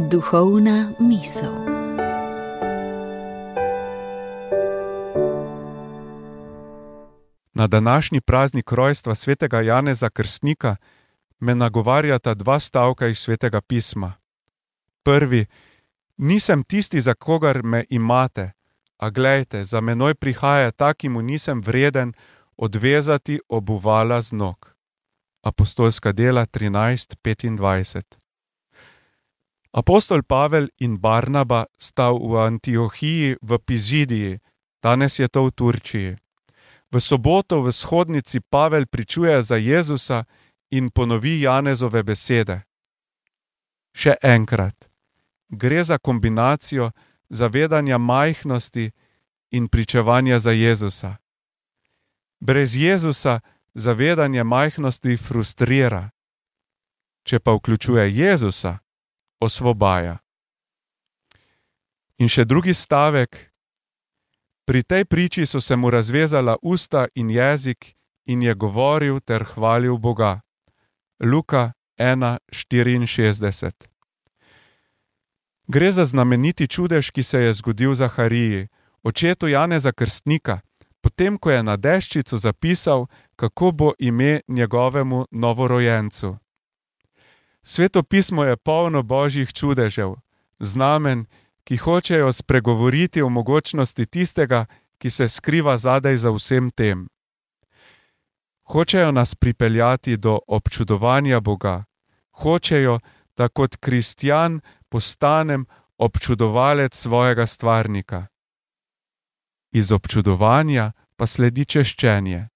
Duhovna misel. Na današnji praznik rojstva svetega Janeza Krstnika me nagovarjata dva stavka iz Svetega pisma. Prvi: nisem tisti, za kogar me imate, a glejte, za menoj prihaja ta, ki mu nisem vreden odvezati obuvala z nog. Apostolska dela 13:25. Apostol Pavel in Barnaba sta v Antiohiji v Pizidiji, danes je to v Turčiji. V soboto v shodnici Pavel pričuje za Jezusa in ponovi Janezove besede. Še enkrat, gre za kombinacijo zavedanja majhnosti in pričevanja za Jezusa. Brez Jezusa zavedanje majhnosti frustrira, če pa vključuje Jezusa, osvobaja. In še drugi stavek: pri tej priči so se mu razvezala usta in jezik in je govoril ter hvalil Boga. Luka 1:64. Gre za znameniti čudež, ki se je zgodil Zahariji, očetu Janeza Krstnika, potem ko je na deščico zapisal, kako bo ime njegovemu novorojencu. Sveto pismo je polno božjih čudežev, znamen, ki hočejo spregovoriti o mogočnosti tistega, ki se skriva zadaj za vsem tem. Hočejo nas pripeljati do občudovanja Boga. Hočejo, da kot kristjan postanem občudovalec svojega stvarnika. Iz občudovanja pa sledi češčenje.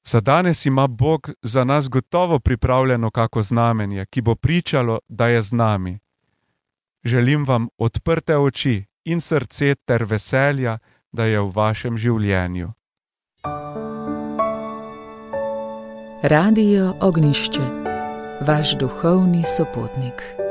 Za danes ima Bog za nas gotovo pripravljeno kako znamenje, ki bo pričalo, da je z nami. Želim vam odprte oči in srce ter veselja, da je v vašem življenju. Radio Ognjišče, vaš duhovni sopotnik.